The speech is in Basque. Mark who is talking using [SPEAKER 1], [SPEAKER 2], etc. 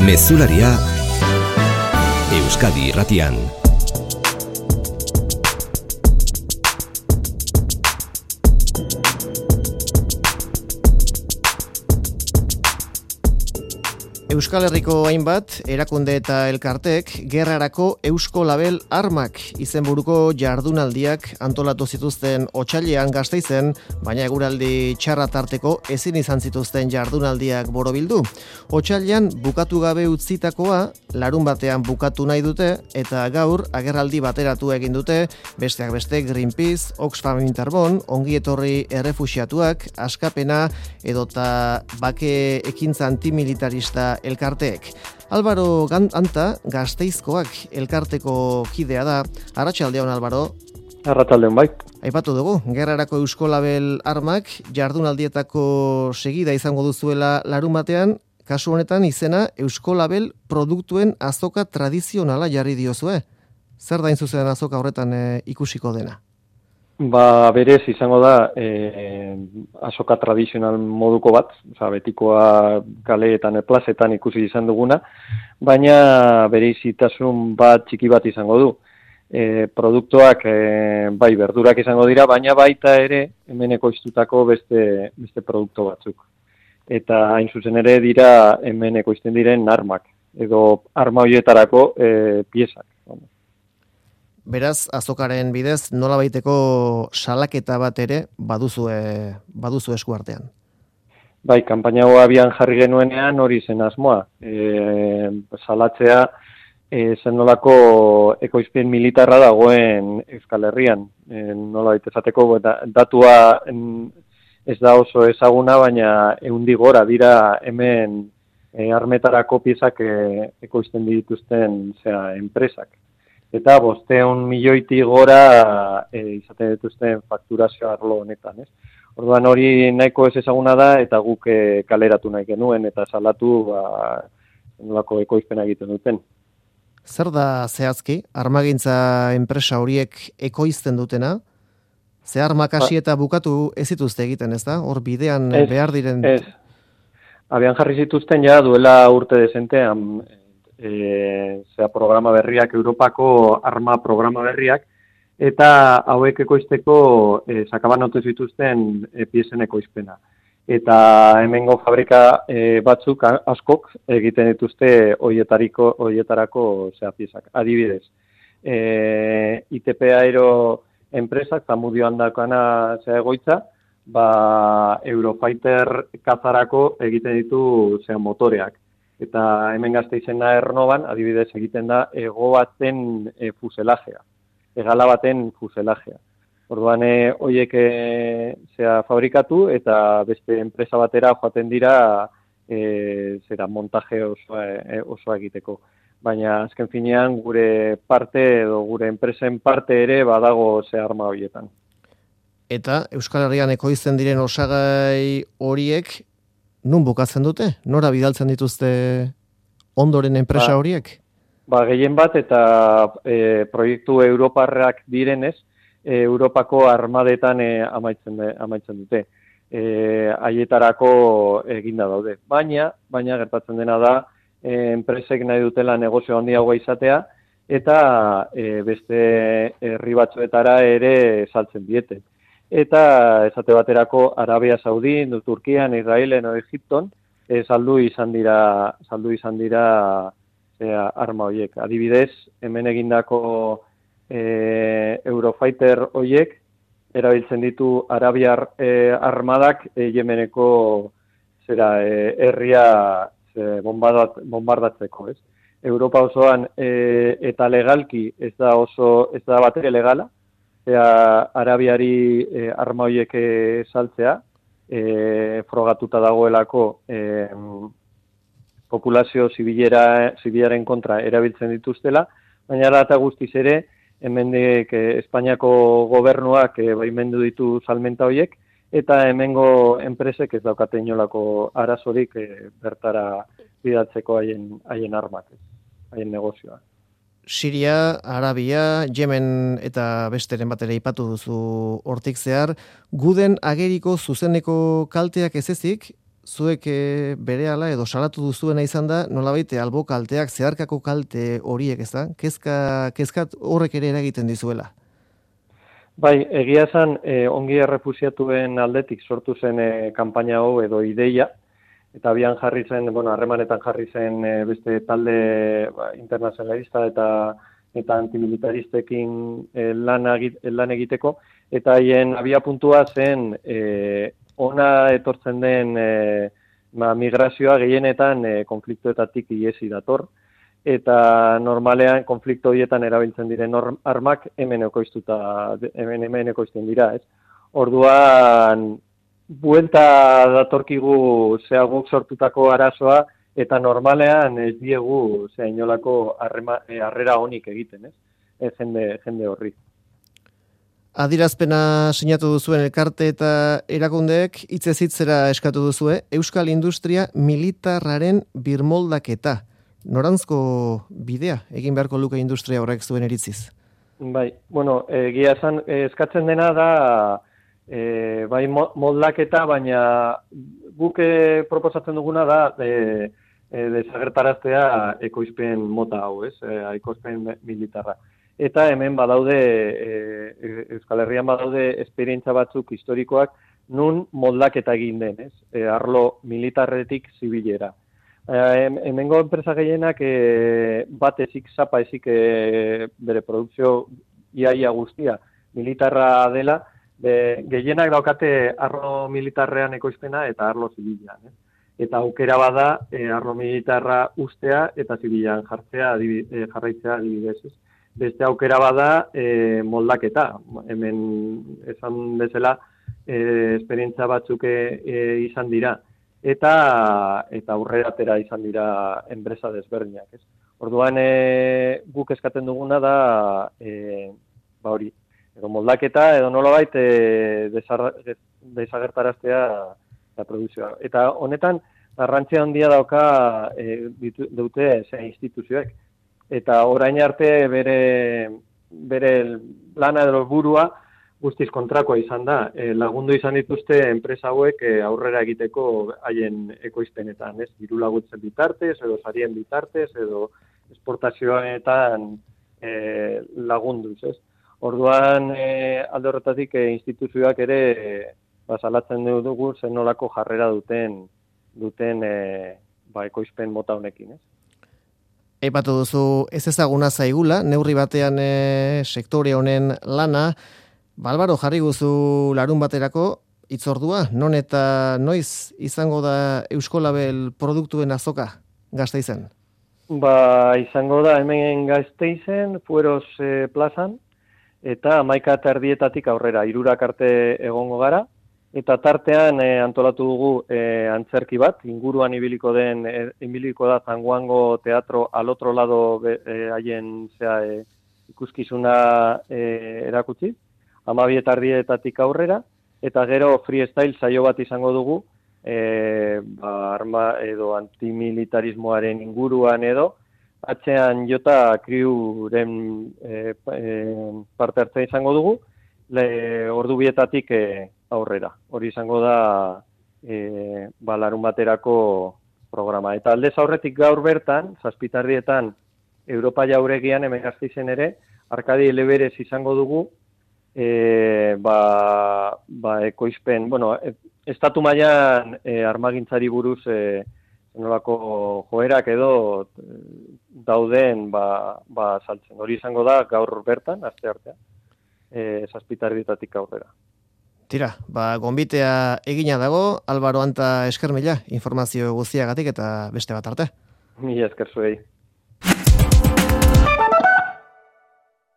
[SPEAKER 1] Mezularia Euskadi Irratian. Euskal Herriko hainbat erakunde eta elkartek gerrarako Eusko Label Armak izenburuko jardunaldiak antolatu zituzten otsailean Gasteizen, baina eguraldi txarra tarteko ezin izan zituzten jardunaldiak borobildu. Otsailean bukatu gabe utzitakoa larunbatean bukatu nahi dute eta gaur agerraldi bateratu egin dute, besteak beste Greenpeace, Oxfam Interbon, Ongi Etorri Errefuxiatuak, Askapena edota Bake Ekintza Antimilitarista elkarteek. Álvaro Anta, Gasteizkoak elkarteko kidea da. Arratsaldeon, Álvaro.
[SPEAKER 2] Arratsaldeon, bai.
[SPEAKER 1] Aipatu dugu, gerrarako Eusko Label Armak jardunaldietako segida izango duzuela larunbatean, kasu honetan izena Eusko Label produktuen azoka tradizionala jarri diozue. Zer da zuzen azoka horretan ikusiko dena?
[SPEAKER 2] Berez izango da azoka tradizional moduko bat, betikoa kaleetan, plazetan ikusi izan duguna, baina bereizitasun bat txiki bat izango du. Produktuak bai berdurak izango dira, baina baita ere hemen ekoiztutako beste produktu batzuk. Eta hain zuzen ere dira hemen ekoizten diren armak, edo arma horietarako piezak.
[SPEAKER 1] Beraz, azokaren bidez, nolabaiteko salaketa bat ere baduzu eskuartean.
[SPEAKER 2] Bai, kanpaina hau abian jarri genuenean hori zen asmoa. Salatzea zen nolako ekoizpen militarra dagoen Euskal Herrian. Nolabait esateko, datua ez da oso ezaguna, baina 100 gora dira hemen armetarako piezak ekoizten dituzten enpresak. Eta 500 milioitik gora izaten dituzten fakturazio arlo honetan, ez? Orduan hori nahiko ez ezaguna da eta guk kaleratu nahi genuen eta salatu nolako ekoizpena egiten duten.
[SPEAKER 1] Zer da zehazki armagintza enpresa horiek ekoizten dutena? Ze armak hasi eta bukatu ez dituzte egiten, ez da? Hor bidean behar diren...
[SPEAKER 2] Ez. Abian jarri zituzten ja duela urte dezentean programa berriak, Europako arma programa berriak, eta hauek ekoizteko sakabanotu zituzten piezen ekoizpena. Eta hemengo fabrika batzuk askok egiten dituzte horietarako piezak. Adibidez, ITP Aero enpresak, Zamudioan dakana egoitza, Eurofighter kazarako egiten ditu motoreak. Eta hemen Gasteizena Ernoban, adibidez egiten da hego baten fuselajea, hegala baten fuselajea. Orduan horiek fabrikatu eta beste enpresa batera joaten dira montaje osoa egiteko. Baina azken finean gure parte edo gure enpresen parte ere badago arma horietan.
[SPEAKER 1] Eta Euskal Herrian ekoizten diren osagai horiek nun bukatzen dute? Nora bidaltzen dituzte ondoren enpresa horiek?
[SPEAKER 2] Gehien bat eta proiektu europarrak direnez, Europako armadetan amaitzen dute. Haietarako eginda daude. Baina gertatzen dena da, enpresek nahi dutela negozio handiagoa izatea, eta beste herri batzuetara ere saltzen diete. Eta esate baterako Arabia Saudi, Turkian, Israelen edo Egipton saldu izan dira arma horiek. Adibidez, hemen egindako Eurofighter horiek erabiltzen ditu Arabiar armadak Yemeneko herria bombardatzeko, ez? Europa osoan eta legalki ez da batere legala. Arabiari arma horiek saltzea, frogatuta dagoelako populazio zibilaren kontra erabiltzen dituztela, baina eta guztiz ere, hemendik Espainiako gobernuak baimendu ditu salmenta horiek, eta hemengo enpresek ez daukate inolako arazorik bertara bidatzeko haien armak, haien negozioa.
[SPEAKER 1] Siria, Arabia, Yemen eta besteren batera ipatu duzu hortik zehar, guden ageriko zuzeneko kalteak ez ezik, zuek berehala edo salatu duzuena izan da, nolabait albo kalteak, zeharkako kalte horiek, ez da? Kezkat horrek ere eragiten dizuela.
[SPEAKER 2] Bai, egia esan, ongi errefusiatuen aldetik sortu zen kanpaina hau edo ideia, eta abian jarri zen, harremanetan jarri zen beste talde internazionalista eta antimilitaristekin lan egiteko, eta haien abiapuntua zen ona etortzen den migrazioa gehienetan konfliktoetatik ihesi dator, eta normalean konflikto horietan erabiltzen diren armak hemen ekoizten dira, ez? Orduan, buelta datorkigu guk sortutako arazoa, eta normalean ez diegu inolako harrera onik egiten, ez? Jende horri.
[SPEAKER 1] Adierazpena sinatu duzuen elkarte eta erakundeek hitzez hitzera eskatu duzue Euskal Industria militarraren birmoldaketa. Norantzko bidea egin beharko luke industria horrek zuen iritziz?
[SPEAKER 2] Bai, egia esan eskatzen dena da bai moldaketa, baina guk proposatzen duguna da desagertaraztea ekoizpen mota hau, ez? Ekoizpen militarra. Eta hemen badaude, Euskal Herrian badaude esperientza batzuk historikoak nun moldaketa egin den, ez? Arlo militarretik zibilera. Hemengo enpresa gehienak bat ezik, zapa ezik bere produkzio iaia guztia militarra dela, gehienak daukate arlo militarrean ekoizpena eta arlo zibilean. Eta aukera bada arlo militarra ustea eta zibilean jarraitzea adibidez. Beste aukera bada moldaketa. Hemen esan bezala esperientza batzuk izan dira. Eta aurrera atera izan dira enpresa desberdinak, ez? Orduan guk eskatzen duguna da hori, edo moldaketa edo nolabait desagertaraztea da produkzioa. Eta honetan garrantzia handia dauka dute instituzioek. Eta orain arte bere lana edo burua guztiz kontrakoa izan da. Lagundu izan dituzte enpresa hauek aurrera egiteko haien ekoizpenetan, ez? Diru laguntzen bitartez, edo sarien bitartez, edo esportazioetan lagunduz, ez? Orduan, alde horretatik instituzioak ere salatzen dugu zen nolako jarrera duten ekoizpen mota honekin, ez?
[SPEAKER 1] Aipatu duzu ez ezaguna zaigula, neurri batean sektore honen lana. Álvaro, jarri guzu larun baterako hitzordua, non eta noiz izango da Euskolabel produktuen azoka Gasteizen?
[SPEAKER 2] Izango da hemen Gasteizen, Fueros plazan, eta 11:30 aurrera, 3 arte egongo gara, eta tartean antolatu dugu antzerki bat, inguruan ibiliko da Zanguango Teatro al otro lado haien ikuskizuna erakutsi. 12:30 aurrera, eta gero freestyle saio bat izango dugu, arma edo antimilitarismoaren inguruan edo, atzean jota kriuren parte hartzea izango dugu, ordu 2:00 aurrera. Hori izango da larun baterako programa. Eta aldez aurretik gaur bertan, 7:00 Europa Jauregian hemen Gasteizen ere, Arkadi Eleberez izango dugu, ekoizpen, estatu mailan armagintzari buruz nolako joerak edo dauden saltzen. Hori izango da gaur bertan, asteartean, 7:00 aurrera.
[SPEAKER 1] Tira, gonbitea egina dago, Álvaro Anta eskermila, informazio guztiagatik eta beste bat arte.
[SPEAKER 2] Mila esker zuei.